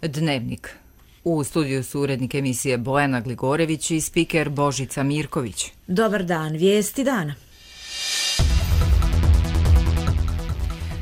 Dnevnik. U studiju su urednik emisije Bojana Gligorević i spiker Božica Mirković. Dobar dan, vijesti dana.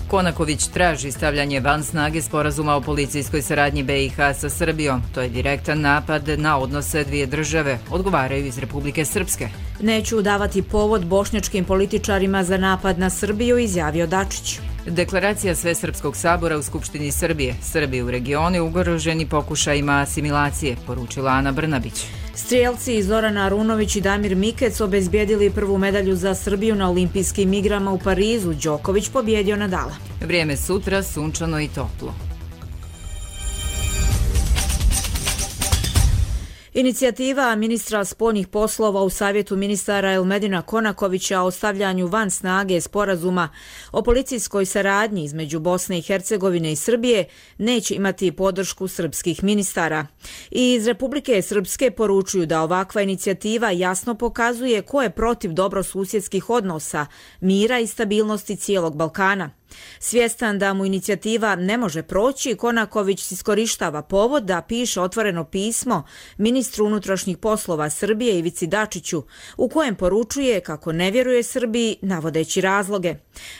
Konaković traži stavljanje van snage sporazuma o policijskoj saradnji BiH sa Srbijom. To je direktan napad na odnose dvije države, odgovaraju iz Republike Srpske. Neću davati povod bošnjačkim političarima za napad na Srbiju, izjavio Dačić. Deklaracija Svesrpskog sabora u Skupštini Srbije. Srbi u regionu ugroženi pokušajima asimilacije, poručila Ana Brnabić. Strijelci Zorana Arunović i Damir Mikec obezbijedili prvu medalju za Srbiju na olimpijskim igrama u Parizu. Đoković pobjedio Nadala. Vrijeme sutra sunčano i toplo. Inicijativa ministra spoljnih poslova u Savjetu ministara Elmedina Konakovića o stavljanju van snage sporazuma o policijskoj saradnji između Bosne i Hercegovine i Srbije neće imati podršku srpskih ministara. I iz Republike Srpske poručuju da ovakva inicijativa jasno pokazuje ko je protiv dobrosusjedskih odnosa, mira i stabilnosti cijelog Balkana. Svjestan da mu inicijativa ne može proći, Konaković iskorištava povod da piše otvoreno pismo ministru unutrašnjih poslova Srbije Ivici Dačiću, u kojem poručuje kako ne vjeruje Srbiji, navodeći razloge.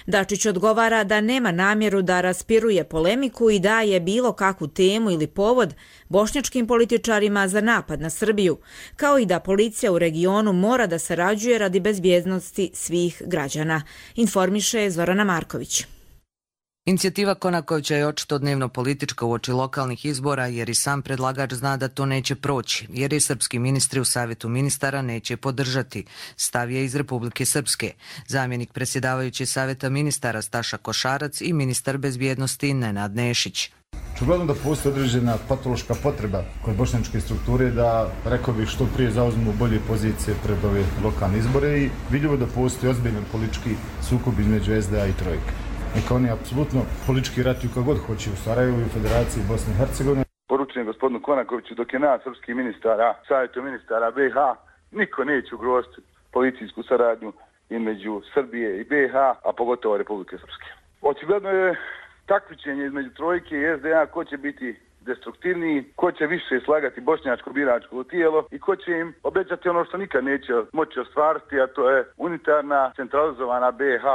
Dačić odgovara da nema namjeru da raspiruje polemiku i daje bilo kakvu temu ili povod bošnjačkim političarima za napad na Srbiju, kao i da policija u regionu mora da sarađuje radi bezbjednosti svih građana, informiše Zorana Marković. Inicijativa Konakovića je očito dnevno politička uoči lokalnih izbora jer i sam predlagač zna da to neće proći, jer je srpski ministri u Savjetu ministara neće podržati, stav je iz Republike Srpske. Zamjenik predsjedavajući Savjeta ministara Staša Košarac i ministar bezbjednosti Nenad Nešić. Očigledno da postoji određena patološka potreba kod bošnjačke strukture da, rekao bih, što prije zauzmu bolje pozicije pred ove lokalne izbore i vidljivo da postoji ozbiljan politički sukob između SDA i Trojke. Neka oni apsolutno politički ratuju kako god hoće u Sarajevu i u Federaciji Bosne i Hercegovine. Poručujem gospodinu Konakoviću, dok je nas srpskih ministara, Savjetu ministara BiH, niko neće ugroziti policijsku saradnju između Srbije i BiH, a pogotovo Republike Srpske. Očigledno je takmičenje između Trojke i SDA ko će biti destruktivniji, ko će više slagati bošnjačko biračko tijelo i ko će im obećati ono što nikad neće moći ostvariti, a to je unitarna, centralizovana BiH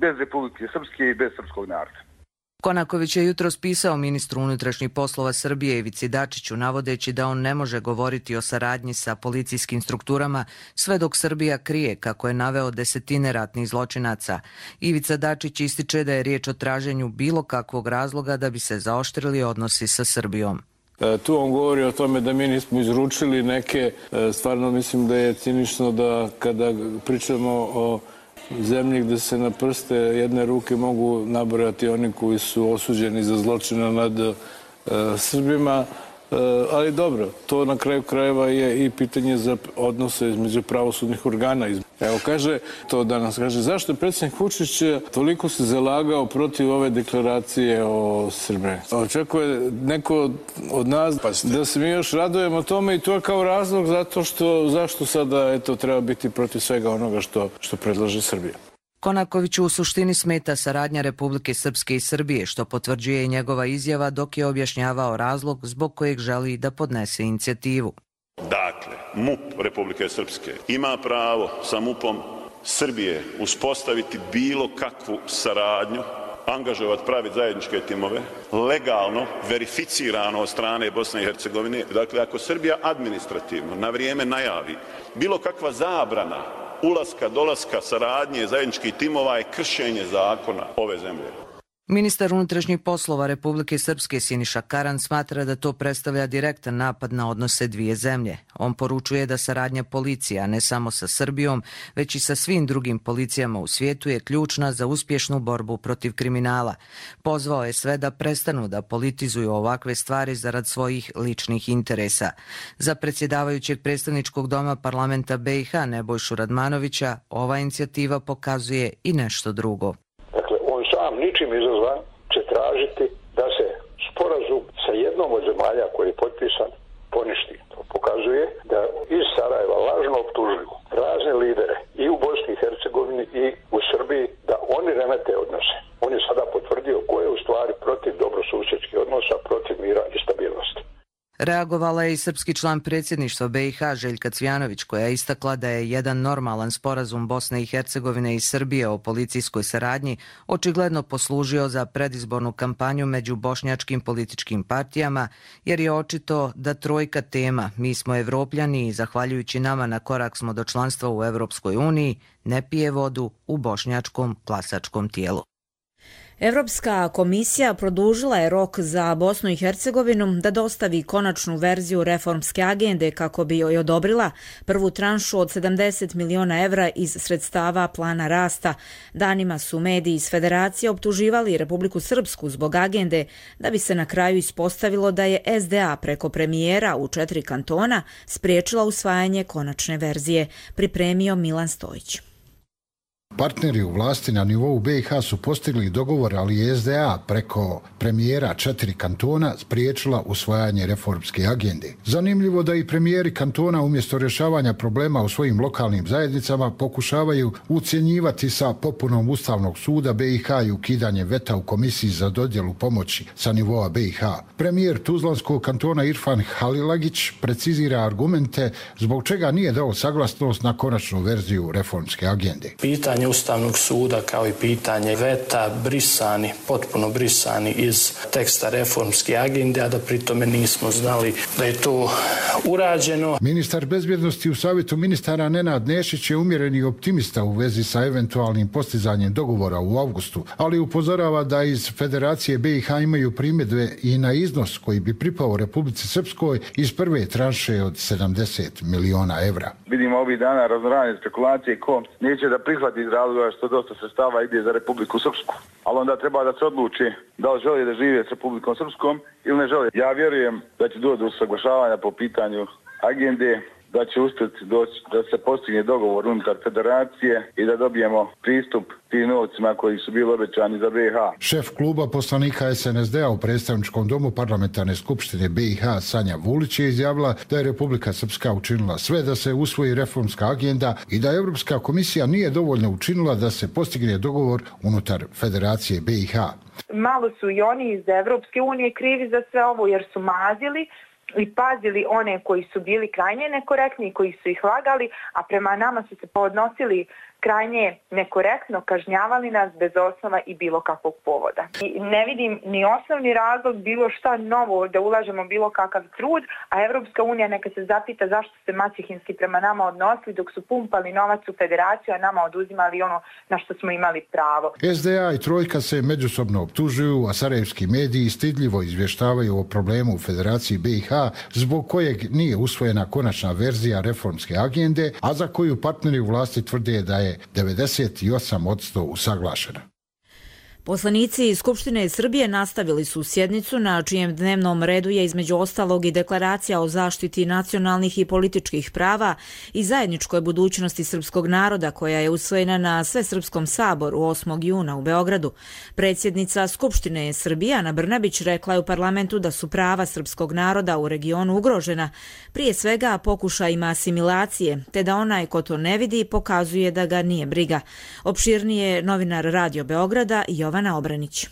bez Republike Srpske i bez srpskog naroda. Konaković je jutros pisao ministru unutrašnjih poslova Srbije Ivici Dačiću, navodeći da on ne može govoriti o saradnji sa policijskim strukturama sve dok Srbija krije, kako je naveo, desetine ratnih zločinaca. Ivica Dačić ističe da je riječ o traženju bilo kakvog razloga da bi se zaoštrili odnosi sa Srbijom. Tu on govori o tome da mi nismo izručili neke, stvarno mislim da je cinično da kada pričamo o zemlji gdje se na prste jedne ruke mogu nabrojati oni koji su osuđeni za zločine nad Srbima, ali dobro, to na kraju krajeva je i pitanje za odnose između pravosudnih organa. Evo kaže, to danas kaže, zašto je predsjednik Vučić toliko se zalagao protiv ove deklaracije o Srbiji? Očekuje neko od nas da se mi još radujemo tome i to je kao razlog zato što, zašto sada treba biti protiv svega onoga što predlaže Srbija. Konakoviću u suštini smeta saradnja Republike Srpske i Srbije, što potvrđuje i njegova izjava dok je objašnjavao razlog zbog kojeg želi da podnese inicijativu. Dakle, MUP Republike Srpske ima pravo sa MUP-om Srbije uspostaviti bilo kakvu saradnju, angažovati, praviti zajedničke timove, legalno, verificirano od strane Bosne i Hercegovine. Dakle, ako Srbija administrativno na vrijeme najavi bilo kakva zabrana ulaska, dolaska, saradnje, zajedničkih timova je kršenje zakona ove zemlje. Ministar unutrašnjih poslova Republike Srpske Siniša Karan smatra da to predstavlja direktan napad na odnose dvije zemlje. On poručuje da saradnja policija, ne samo sa Srbijom, već i sa svim drugim policijama u svijetu je ključna za uspješnu borbu protiv kriminala. Pozvao je sve da prestanu da politizuju ovakve stvari zarad svojih ličnih interesa. Za predsjedavajućeg predstavničkog doma parlamenta BiH Nebojšu Radmanovića ova inicijativa pokazuje i nešto drugo. Ničim izazvan će tražiti da se sporazum sa jednom od zemalja koji je potpisan poništi. To pokazuje da iz Sarajeva lažno optužuju razne lidere i u Bosni i Hercegovini i u Srbiji da oni remete odnose. On je sada potvrdio ko je u stvari protiv dobrosusjedskih odnosa, protiv mira i stabilnosti. Reagovala je i srpski član predsjedništva BiH Željka Cvjanović, koja je istakla da je jedan normalan sporazum Bosne i Hercegovine i Srbije o policijskoj saradnji očigledno poslužio za predizbornu kampanju među bošnjačkim političkim partijama, jer je očito da trojka tema "Mi smo Evropljani i zahvaljujući nama na korak smo do članstva u Evropskoj uniji" ne pije vodu u bošnjačkom glasačkom tijelu. Evropska komisija produžila je rok za Bosnu i Hercegovinu da dostavi konačnu verziju reformske agende kako bi joj odobrila prvu tranšu od 70 miliona evra iz sredstava plana rasta. Danima su mediji iz Federacije optuživali Republiku Srpsku zbog agende, da bi se na kraju ispostavilo da je SDA preko premijera u 4 kantona spriječila usvajanje konačne verzije, pripremio Milan Stojić. Partneri u vlasti na nivou BiH su postigli dogovor, ali je SDA preko premijera 4 kantona spriječila usvajanje reformske agende. Zanimljivo da i premijeri kantona umjesto rješavanja problema u svojim lokalnim zajednicama pokušavaju ucjenjivati sa popunom Ustavnog suda BiH i ukidanje veta u komisiji za dodjelu pomoći sa nivoa BiH. Premijer Tuzlanskog kantona Irfan Halilagić precizira argumente zbog čega nije dao saglasnost na konačnu verziju reformske agende. Pitanje Ustavnog suda kao i pitanje veta potpuno brisani iz teksta reformske agende, a da pritome nismo znali da je to urađeno. Ministar bezbjednosti u Savjetu ministara Nenad Nešić je umjereni optimista u vezi sa eventualnim postizanjem dogovora u avgustu, ali upozorava da iz Federacije BiH imaju primjedbe i na iznos koji bi pripao Republici Srpskoj iz prve tranše od 70 miliona evra. Vidimo ovih dana raznorazne spekulacije ko neće da prihvati iz razloga što dosta sredstava ide za Republiku Srpsku. Ali onda treba da se odluči da li želi da žive s Republikom Srpskom ili ne želi. Ja vjerujem da će doći do usaglašavanja po pitanju agende, da će uspjeti doći da se postigne dogovor unutar federacije i da dobijemo pristup tim novcima koji su bili obećani za BiH. Šef kluba poslanika SNSD-a u predstavničkom domu parlamentarne skupštine BiH Sanja Vulić je izjavila da je Republika Srpska učinila sve da se usvoji reformska agenda i da Evropska komisija nije dovoljno učinila da se postigne dogovor unutar Federacije BiH. Malo su i oni iz Evropske unije krivi za sve ovo jer su mazili i pazili one koji su bili krajnje nekorektni, koji su ih lagali, a prema nama su se podnosili krajnje nekorektno, kažnjavali nas bez osnova i bilo kakvog povoda. I ne vidim ni osnovni razlog bilo šta novo da ulažemo bilo kakav trud, a Evropska unija neka se zapita zašto se maćehinski prema nama odnosili dok su pumpali novac u federaciju, a nama oduzimali ono na što smo imali pravo. SDA i Trojka se međusobno optužuju, a sarajevski mediji stidljivo izvještavaju o problemu u Federaciji BiH zbog kojeg nije usvojena konačna verzija reformske agende, a za koju partneri u vlasti tvrde da je 98% usaglašena. Poslanici Skupštine Srbije nastavili su sjednicu na čijem dnevnom redu je između ostalog i deklaracija o zaštiti nacionalnih i političkih prava i zajedničkoj budućnosti srpskog naroda koja je usvojena na Svesrpskom saboru 8. juna u Beogradu. Predsjednica Skupštine Srbije Ana Brnabić rekla je u parlamentu da su prava srpskog naroda u regionu ugrožena, prije svega pokušajima asimilacije, te da onaj ko to ne vidi pokazuje da ga nije briga. Opširnije novinar Radio Beograda Jovana Obranić.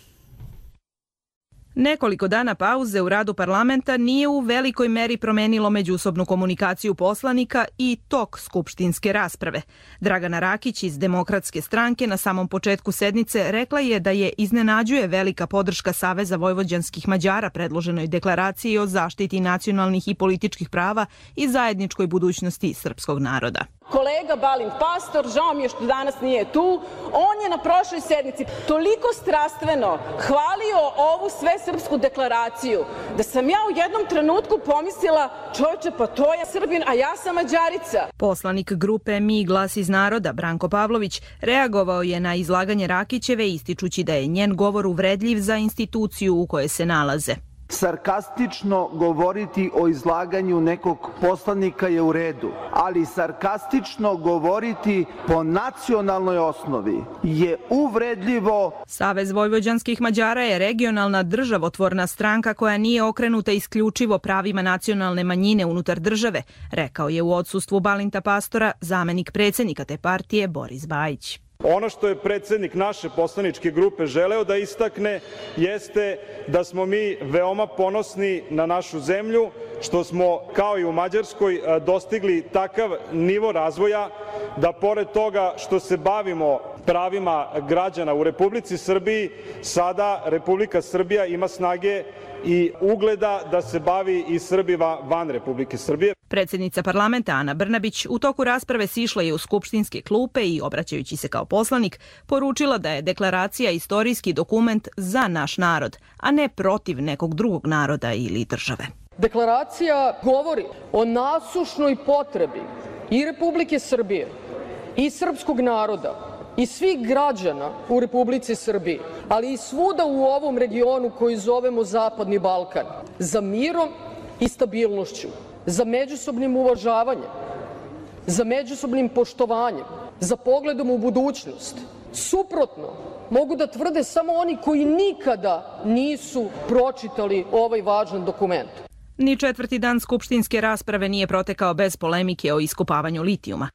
Nekoliko dana pauze u radu parlamenta nije u velikoj meri promenilo međusobnu komunikaciju poslanika i tok skupštinske rasprave. Dragana Rakić iz Demokratske stranke na samom početku sednice rekla je da je iznenađuje velika podrška Saveza vojvođanskih Mađara predloženoj deklaraciji o zaštiti nacionalnih i političkih prava i zajedničkoj budućnosti srpskog naroda. Kolega Balint Pastor, žao mi je što danas nije tu, on je na prošloj sednici toliko strastveno hvalio ovu svesrpsku deklaraciju da sam ja u jednom trenutku pomislila, čovječe, pa to je Srbin, a ja sam Mađarica. Poslanik grupe Mi glas iz naroda Branko Pavlović reagovao je na izlaganje Rakićeve ističući da je njen govor uvredljiv za instituciju u kojoj se nalaze. Sarkastično govoriti o izlaganju nekog poslanika je u redu, ali sarkastično govoriti po nacionalnoj osnovi je uvredljivo. Savez vojvođanskih Mađara je regionalna državotvorna stranka koja nije okrenuta isključivo pravima nacionalne manjine unutar države, rekao je u odsustvu Balinta Pastora zamenik predsjednika te partije Boris Bajić. Ono što je predsjednik naše poslaničke grupe želeo da istakne jeste da smo mi veoma ponosni na našu zemlju, što smo, kao i u Mađarskoj, dostigli takav nivo razvoja da pored toga što se bavimo pravima građana u Republici Srbiji, sada Republika Srbija ima snage i ugleda da se bavi i Srbima van Republike Srbije. Predsjednica parlamenta Ana Brnabić u toku rasprave sišla je u skupštinske klupe i, obraćajući se kao poslanik, poručila da je deklaracija istorijski dokument za naš narod, a ne protiv nekog drugog naroda ili države. Deklaracija govori o nasušnoj potrebi i Republike Srbije i srpskog naroda i svih građana u Republici Srbiji, ali i svuda u ovom regionu koji zovemo Zapadni Balkan, za mirom i stabilnošću, za međusobnim uvažavanjem, za međusobnim poštovanjem, za pogledom u budućnost. Suprotno mogu da tvrde samo oni koji nikada nisu pročitali ovaj važan dokument. Ni četvrti dan skupštinske rasprave nije protekao bez polemike o iskopavanju litijuma.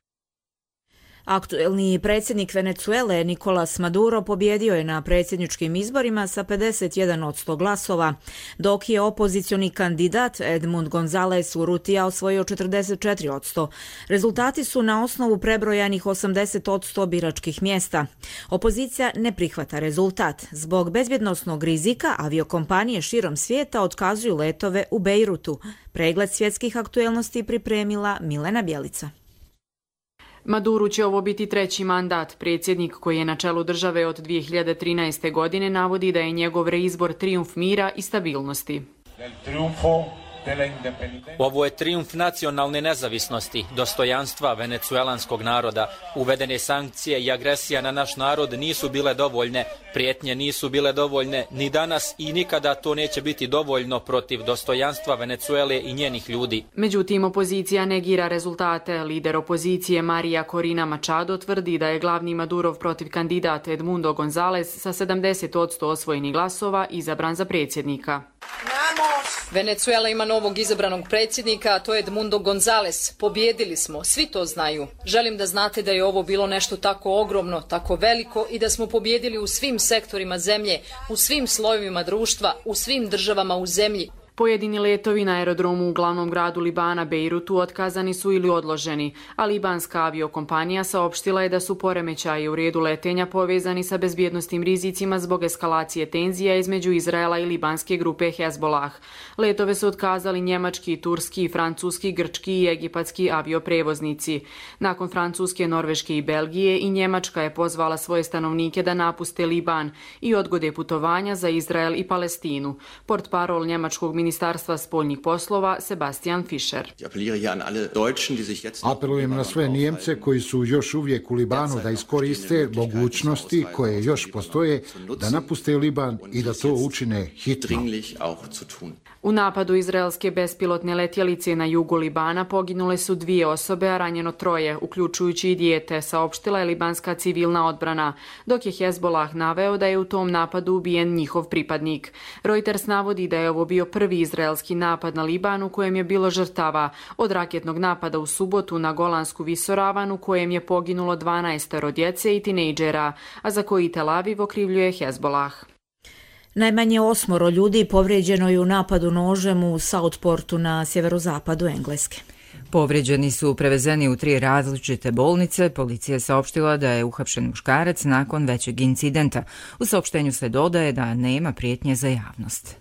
Aktuelni predsjednik Venecuele Nicolas Maduro pobjedio je na predsjedničkim izborima sa 51% glasova, dok je opozicioni kandidat Edmund González Urrutia osvojio 44%. Rezultati su na osnovu prebrojanih 80% biračkih mjesta. Opozicija ne prihvata rezultat. Zbog bezbjednosnog rizika aviokompanije širom svijeta otkazuju letove u Bejrutu. Pregled svjetskih aktuelnosti pripremila Milena Bjelica. Maduru će ovo biti treći mandat. Predsjednik koji je na čelu države od 2013. godine navodi da je njegov reizbor trijumf mira i stabilnosti. Ovo je trijumf nacionalne nezavisnosti, dostojanstva venecuelanskog naroda. Uvedene sankcije i agresija na naš narod nisu bile dovoljne, prijetnje nisu bile dovoljne, ni danas i nikada to neće biti dovoljno protiv dostojanstva Venecuele i njenih ljudi. Međutim, opozicija negira rezultate. Lider opozicije Maria Corina Machado tvrdi da je glavni Madurov protiv kandidat Edmundo González sa 70% osvojenih glasova izabran za predsjednika. Venecuela ima novog izabranog predsjednika, a to je Edmundo González. Pobjedili smo, svi to znaju. Želim da znate da je ovo bilo nešto tako ogromno, tako veliko i da smo pobjedili u svim sektorima zemlje, u svim slojevima društva, u svim državama u zemlji. Pojedini letovi na aerodromu u glavnom gradu Libana, Bejrutu, otkazani su ili odloženi, a libanska aviokompanija saopštila je da su poremećaji u redu letenja povezani sa bezbjednosnim rizicima zbog eskalacije tenzija između Izraela i libanske grupe Hezbollah. Letove su otkazali njemački, turski, francuski, grčki i egipatski avioprevoznici. Nakon Francuske, Norveške i Belgije i Njemačka je pozvala svoje stanovnike da napuste Liban i odgode putovanja za Izrael i Palestinu. Portparol njemačkog Ministarstva spoljnih poslova Sebastian Fischer. Apelujem na sve Nijemce koji su još uvijek u Libanu da iskoriste mogućnosti koje još postoje da napuste Liban i da to učine hitno. U napadu izraelske bespilotne letjelice na jugu Libana poginule su 2 osobe, a ranjeno 3, uključujući i dijete, saopštila je libanska civilna odbrana, dok je Hezbollah naveo da je u tom napadu ubijen njihov pripadnik. Reuters navodi da je ovo bio prvi izraelski napad na Liban u kojem je bilo žrtava od raketnog napada u subotu na Golansku visoravan u kojem je poginulo 12 djece i tinejdžera, a za koji Tel Aviv okrivljuje Hezbollah. Najmanje 8 ljudi povrijeđeno je u napadu nožem u Southportu na sjeverozapadu Engleske. Povrijeđeni su prevezeni u 3 različite bolnice. Policija je saopštila da je uhapšen muškarac nakon većeg incidenta. U saopštenju se dodaje da nema prijetnje za javnost.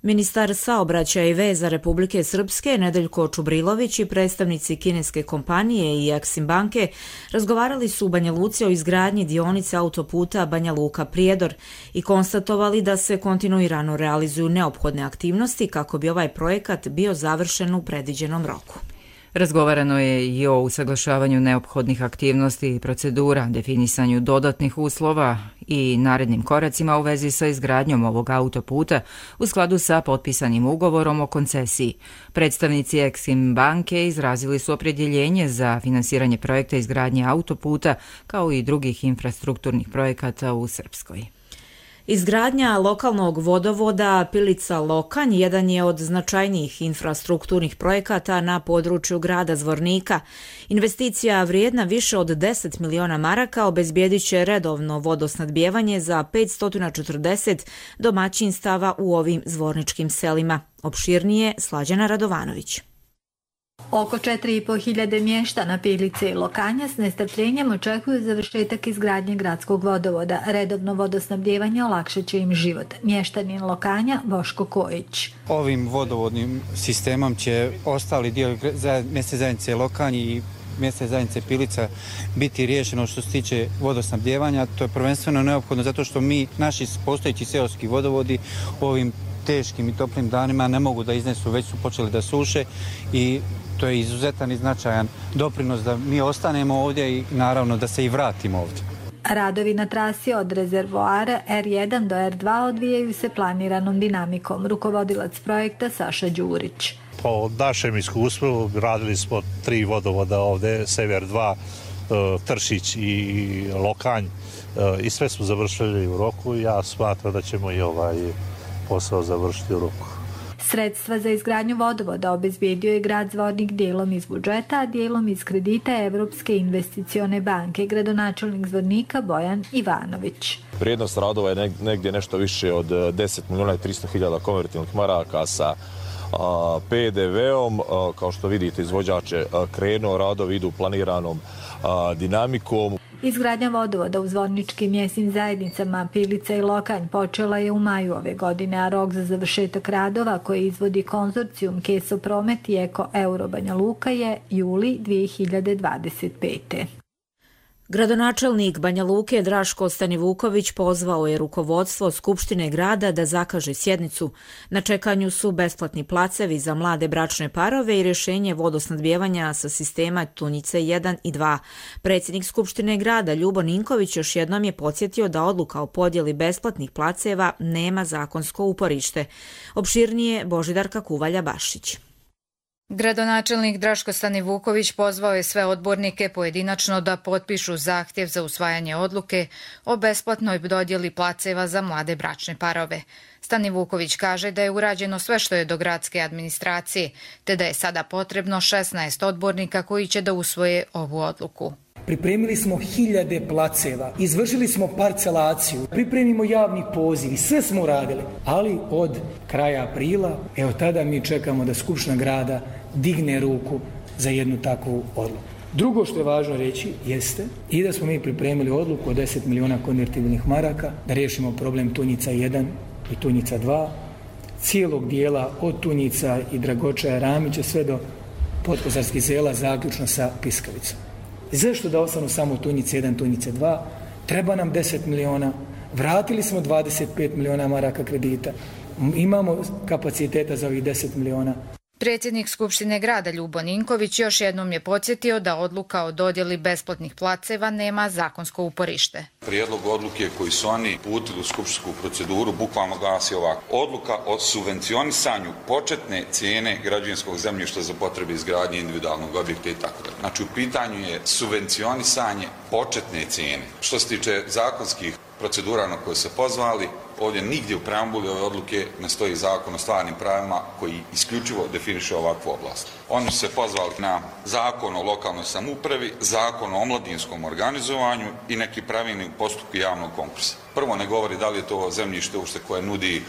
Ministar saobraćaja i veza Republike Srpske Nedeljko Čubrilović i predstavnici kineske kompanije i Eksim banke razgovarali su u Banja Luci o izgradnji dionice autoputa Banja Luka-Prijedor i konstatovali da se kontinuirano realizuju neophodne aktivnosti kako bi ovaj projekat bio završen u predviđenom roku. Razgovarano je i o usaglašavanju neophodnih aktivnosti i procedura, definisanju dodatnih uslova i narednim koracima u vezi sa izgradnjom ovog autoputa u skladu sa potpisanim ugovorom o koncesiji. Predstavnici Eksim banke izrazili su opredjeljenje za finansiranje projekta izgradnje autoputa kao i drugih infrastrukturnih projekata u Srpskoj. Izgradnja lokalnog vodovoda Pilica-Lokanj jedan je od značajnijih infrastrukturnih projekata na području grada Zvornika. Investicija vrijedna više od 10 miliona maraka obezbijedit će redovno vodosnadbijevanje za 540 domaćinstava u ovim zvorničkim selima. Opširnije Slađana Radovanović. Oko 4.500 mještana Pilice i Lokanja s nestrpljenjem očekuju završetak izgradnje gradskog vodovoda. Redovno vodosnabdijevanje olakšat će im život. Mještanin Lokanja Boško Kojić. Ovim vodovodnim sistemom će ostali dio mjesne zajednice Lokanj i mjesne zajednice Pilica biti riješeno što se tiče vodosnabdijevanja. To je prvenstveno neophodno zato što naši postojeći seoski vodovodi ovim teškim i toplim danima ne mogu da iznesu, već su počeli da suše i to je izuzetan i značajan doprinos da mi ostanemo ovdje i naravno da se i vratimo ovdje. Radovi na trasi od rezervoara R1 do R2 odvijaju se planiranom dinamikom. Rukovodilac projekta Saša Đurić. Po našem iskustvu radili smo 3 vodovoda ovdje, Sever 2, Tršić i Lokanj i sve smo završili u roku. Ja smatram da ćemo i ovaj posao završiti u roku. Sredstva za izgradnju vodovoda obezbijedio je grad Zvornik dijelom iz budžeta, a dijelom iz kredita Evropske investicione banke, gradonačelnik Zvornika Bojan Ivanović. Vrijednost radova je negdje nešto više od 10 milijuna i 300 hiljada konvertibilnih maraka sa PDV-om. Kao što vidite, izvođač je krenuo, radovi idu planiranom dinamikom. Izgradnja vodovoda u zvorničkim mjesnim zajednicama Pilica i Lokanj počela je u maju ove godine, a rok za završetak radova koji izvodi konzorcijum Keso Promet i Eko Euro Banja Luka je juli 2025. Gradonačelnik Banja Luke Draško Stanivuković pozvao je rukovodstvo Skupštine grada da zakaže sjednicu. Na čekanju su besplatni placevi za mlade bračne parove i rješenje vodosnadbijevanja sa sistema Tunjice 1 i 2. Predsjednik Skupštine grada Ljubo Ninković još jednom je podsjetio da odluka o podjeli besplatnih placeva nema zakonsko uporište. Opširnije Božidarka Kuvalja-Bašić. Gradonačelnik Draško Stanivuković pozvao je sve odbornike pojedinačno da potpišu zahtjev za usvajanje odluke o besplatnoj dodjeli placeva za mlade bračne parove. Stanivuković kaže da je urađeno sve što je do gradske administracije, te da je sada potrebno 16 odbornika koji će da usvoje ovu odluku. Pripremili smo hiljade placeva, izvršili smo parcelaciju, pripremimo javni poziv i sve smo uradili. Ali od kraja aprila, evo tada mi čekamo da Skupština grada digne ruku za jednu takvu odluku. Drugo što je važno reći jeste i da smo mi pripremili odluku od 10 miliona konvertibilnih maraka da riješimo problem Tunjica 1 i Tunjica 2, cijelog dijela od Tunjica i Dragočaja Ramića sve do Potkozarskih sela zaključno sa Piskavicom. Zašto da ostanu samo Tunjice 1, Tunjice 2? Treba nam 10 miliona. Vratili smo 25 miliona maraka kredita. Imamo kapaciteta za ovih 10 miliona. Predsjednik Skupštine grada Ljubo Ninković još jednom je podsjetio da odluka o dodjeli besplatnih placeva nema zakonsko uporište. Prijedlog odluke koji su oni uputili u skupštinsku proceduru bukvalno glasi ovako. Odluka o subvencionisanju početne cijene građevinskog zemljišta za potrebe izgradnje individualnog objekta i tako dalje. Znači u pitanju je subvencionisanje početne cijene. Što se tiče zakonskih procedura na koje se pozvali, ovdje nigdje u preambuli ove odluke ne stoji zakon o stvarnim pravima koji isključivo definiše ovakvu oblast. Oni su se pozvali na zakon o lokalnoj samoupravi, zakon o omladinskom organizovanju i neki pravilnik u postupku javnog konkursa. Prvo ne govori da li je to zemljište uopšte koje nudi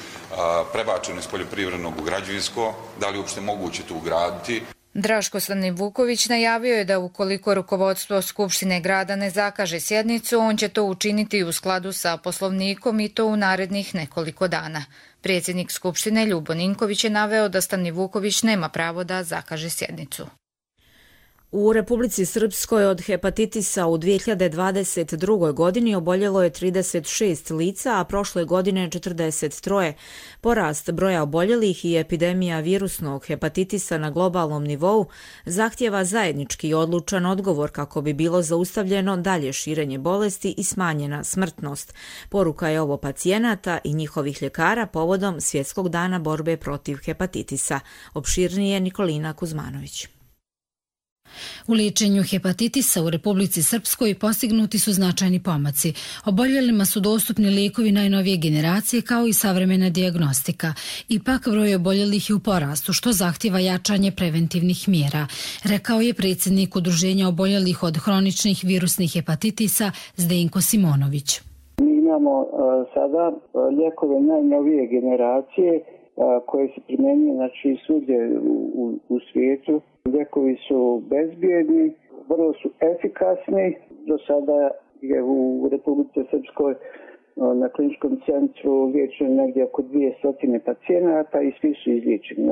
prebačeno iz poljoprivrednog u građevinsko, da li je uopšte moguće to ugraditi. Draško Stanivuković najavio je da ukoliko rukovodstvo Skupštine grada ne zakaže sjednicu, on će to učiniti u skladu sa Poslovnikom i to u narednih nekoliko dana. Predsjednik Skupštine Ljubo Ninković je naveo da Stanivuković nema pravo da zakaže sjednicu. U Republici Srpskoj od hepatitisa u 2022. godini oboljelo je 36 lica, a prošle godine 43. Porast broja oboljelih i epidemija virusnog hepatitisa na globalnom nivou zahtjeva zajednički i odlučan odgovor kako bi bilo zaustavljeno dalje širenje bolesti i smanjena smrtnost. Poruka je ovo pacijenata i njihovih ljekara povodom Svjetskog dana borbe protiv hepatitisa. Opširnije Nikolina Kuzmanović. U liječenju hepatitisa u Republici Srpskoj postignuti su značajni pomaci. Oboljelima su dostupni lijekovi najnovije generacije kao i savremena dijagnostika. Ipak broj oboljelih je u porastu, što zahtjeva jačanje preventivnih mjera, rekao je predsjednik Udruženja oboljelih od hroničnih virusnih hepatitisa Zdenko Simonović. Mi imamo sada lijekove najnovije generacije koje se primjenjuju svugdje u svijetu. Lijekovi su bezbjedni, vrlo su efikasni. Do sada je u Republici Srpskoj na kliničkom centru liječeno negdje oko 200 pacijenata i svi su izliječeni.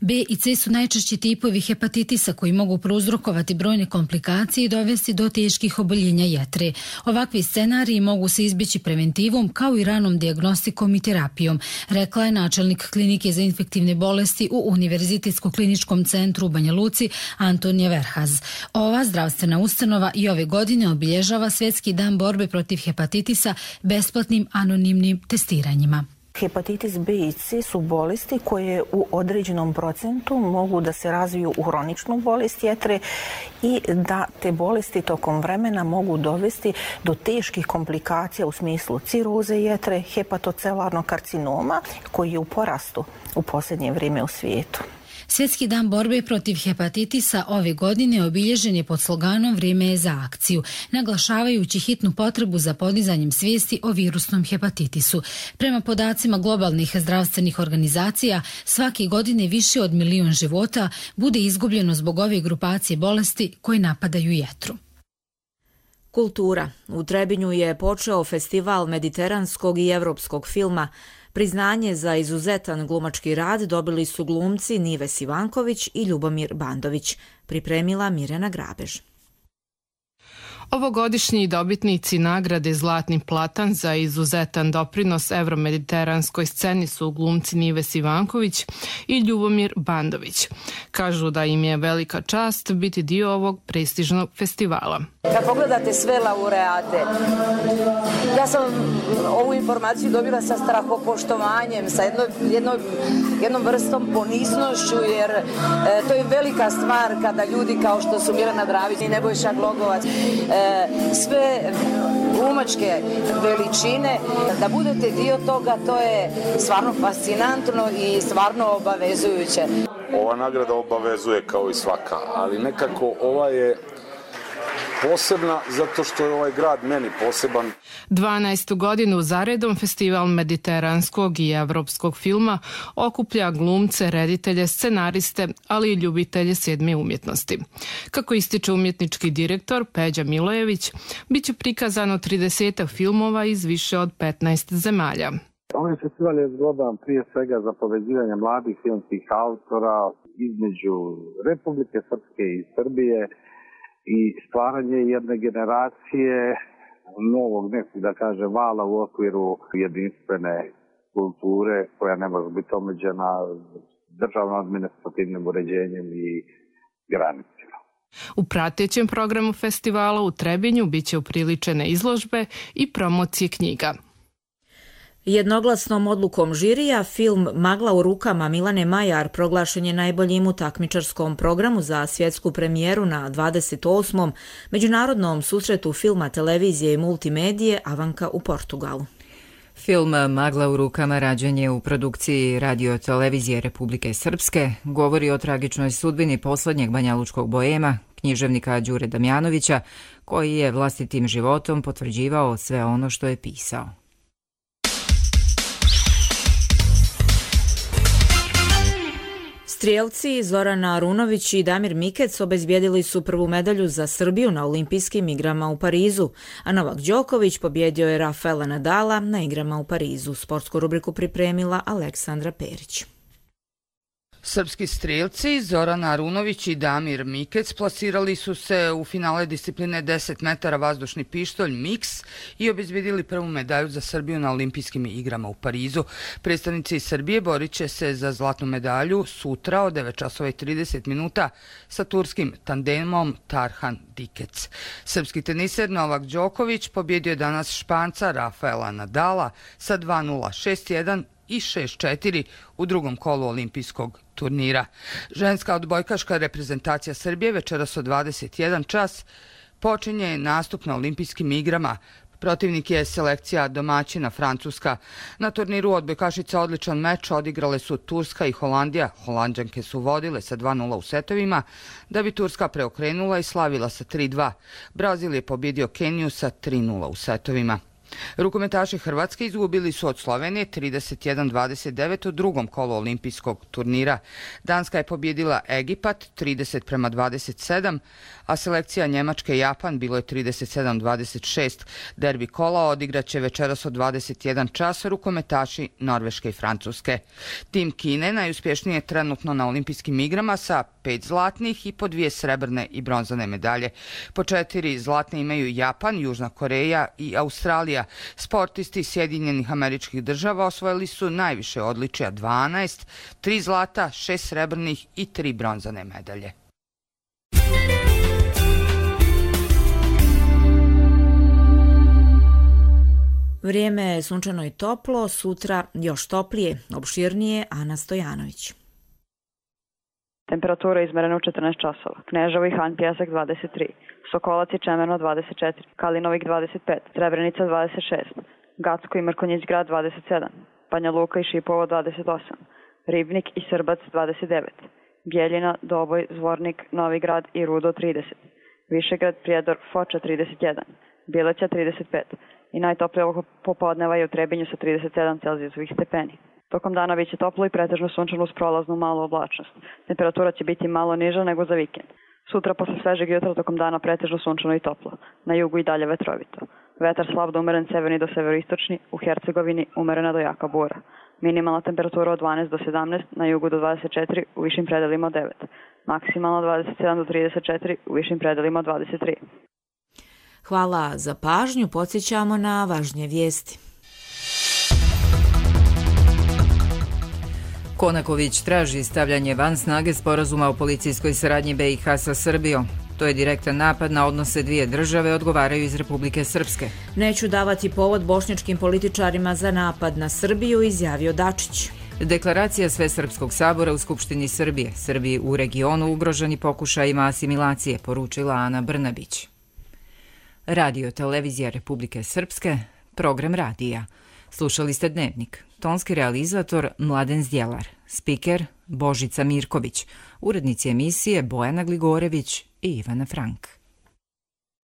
B i C su najčešći tipovi hepatitisa koji mogu prouzrokovati brojne komplikacije i dovesti do teških oboljenja jetre. Ovakvi scenariji mogu se izbjeći preventivom kao i ranom dijagnostikom i terapijom, rekla je načelnik klinike za infektivne bolesti u Univerzitetskom kliničkom centru u Banja Luci Antonija Verhaz. Ova zdravstvena ustanova i ove godine obilježava Svjetski dan borbe protiv hepatitisa besplatnim anonimnim testiranjima. Hepatitis B i C su bolesti koje u određenom procentu mogu da se razviju u hroničnu bolest jetre i da te bolesti tokom vremena mogu dovesti do teških komplikacija u smislu ciroze jetre, hepatocelarnog karcinoma koji je u porastu u posljednje vrijeme u svijetu. Svjetski dan borbe protiv hepatitisa ove godine obilježen je pod sloganom Vrijeme je za akciju, naglašavajući hitnu potrebu za podizanjem svijesti o virusnom hepatitisu. Prema podacima globalnih zdravstvenih organizacija, svake godine više od 1 milion života bude izgubljeno zbog ove grupacije bolesti koje napadaju jetru. Kultura. U Trebinju je počeo festival mediteranskog i evropskog filma. Priznanje za izuzetan glumački rad dobili su glumci Nives Ivanković i Ljubomir Bandović, pripremila Mirjana Grabež. Ovogodišnji dobitnici nagrade Zlatni platan za izuzetan doprinos evromediteranskoj sceni su glumci Nives Ivanković i Ljubomir Bandović. Kažu da im je velika čast biti dio ovog prestižnog festivala. Kad pogledate sve laureate, ja sam ovu informaciju dobila sa strahopoštovanjem, sa jednom vrstom ponisnošću, jer to je velika stvar kada ljudi kao što su Mirjana Dravić i Nebojša Glogovac, sve glumačke veličine, da budete dio toga, to je stvarno fascinantno i stvarno obavezujuće. Ova nagrada obavezuje kao i svaka, ali nekako ova je posebna zato što je ovaj grad meni poseban. 12. godinu zaredom Festival mediteranskog i evropskog filma okuplja glumce, reditelje, scenariste, ali i ljubitelje sedme umjetnosti. Kako ističe umjetnički direktor Peđa Milojević, bit će prikazano 30 filmova iz više od 15 zemalja. Ovaj festival je zgodan prije svega za povezivanje mladih filmskih autora između Republike Srpske i Srbije i stvaranje jedne generacije novog nekog, da kaže, vala u okviru jedinstvene kulture koja ne može biti omeđena državno-administrativnim uređenjem i granicima. U pratećem programu festivala u Trebinju biće upriličene izložbe i promocije knjiga. Jednoglasnom odlukom žirija film Magla u rukama Milane Majar proglašen je najboljim u takmičarskom programu za svjetsku premijeru na 28. Međunarodnom susretu filma, televizije i multimedije Avanka u Portugalu. Film Magla u rukama rađen je u produkciji Radio-televizije Republike Srpske, govori o tragičnoj sudbini posljednjeg banjalučkog boema, književnika Đure Damjanovića, koji je vlastitim životom potvrđivao sve ono što je pisao. Strijelci Zorana Arunović i Damir Mikec obezbijedili su prvu medalju za Srbiju na olimpijskim igrama u Parizu, a Novak Đoković pobjedio je Rafaela Nadala na igrama u Parizu. Sportsku rubriku pripremila Aleksandra Perić. Srpski strijelci Zoran Arunović i Damir Mikec plasirali su se u finale discipline 10 metara vazdušni pištolj Mix i obezbjedili prvu medalju za Srbiju na olimpijskim igrama u Parizu. Predstavnici Srbije borit će se za zlatnu medalju sutra od 9:30 minuta sa turskim tandemom Tarhan Dikec. Srpski teniser Novak Đoković pobjedio je danas Španca Rafaela Nadala sa 2:0, 6:1 i 6-4 u drugom kolu olimpijskog turnira. Ženska odbojkaška reprezentacija Srbije večeras od 21 čas počinje nastup na olimpijskim igrama. Protivnik je selekcija domaćina Francuska. Na turniru odbojkašica odličan meč odigrale su Turska i Holandija. Holanđanke su vodile sa 2:0 u setovima, da bi Turska preokrenula i slavila sa 3:2. Brazil je pobjedio Keniju sa 3:0 u setovima. Rukometaši Hrvatske izgubili su od Slovenije 31-29 u drugom kolu olimpijskog turnira. Danska je pobjedila Egipat 30-27, a selekcija Njemačke i Japan bilo je 37-26. Derbi kola odigraće večeras od 21 čas rukometaši Norveške i Francuske. Tim Kine najuspješnije je trenutno na olimpijskim igrama sa 5 zlatnih i po 2 srebrne i bronzane medalje. Po 4 zlatne imaju Japan, Južna Koreja i Australija. Sportisti Sjedinjenih Američkih Država osvojili su najviše odličja 12, 3 zlata, 6 srebrnih i 3 bronzane medalje. Vrijeme je sunčano i toplo, sutra još toplije, opširnije. Ana Stojanović. Temperatura izmerena u 14 časova. Kneževo i Han Pjesak 23, Sokolac i Čemerno 24, Kalinovik 25, Srebrenica 26, Gacko i Mrkonjić grad 27, Banja Luka i Šipovo 28, Ribnik i Srbac 29, Bjeljina, Doboj, Zvornik, Novi Grad i Rudo 30, Višegrad, Prijedor, Foča 31, Bileća 35 i najtoplije ovog popodneva je u Trebinju sa 37 celzijusovih stepeni. Tokom dana biće toplo i pretežno sunčano uz prolaznu malu oblačnost. Temperatura će biti malo niža nego za vikend. Sutra posle svežeg jutra tokom dana pretežno sunčano i toplo. Na jugu i dalje vetrovito. Vetar slab do umeren severni do severoistočni, u Hercegovini umerena do jaka bura. Minimalna temperatura od 12 do 17, na jugu do 24, u višim predelima od 9. Maksimalno 27 do 34, u višim predelima od 23. Hvala za pažnju, podsjećamo na važnije vijesti. Konaković traži stavljanje van snage sporazuma o policijskoj saradnji BiH sa Srbijom. To je direktan napad na odnose dvije države, odgovaraju iz Republike Srpske. Neću davati povod bošnjačkim političarima za napad na Srbiju, izjavio Dačić. Deklaracija Svesrpskog sabora u Skupštini Srbije. Srbiji u regionu ugroženi pokušajima asimilacije, poručila Ana Brnabić. Radio Televizija Republike Srpske, program radija. Slušali ste Dnevnik. Tonski realizator Mladen Zdjelar, spiker Božica Mirković, urednici emisije Bojana Gligorević i Ivana Frank.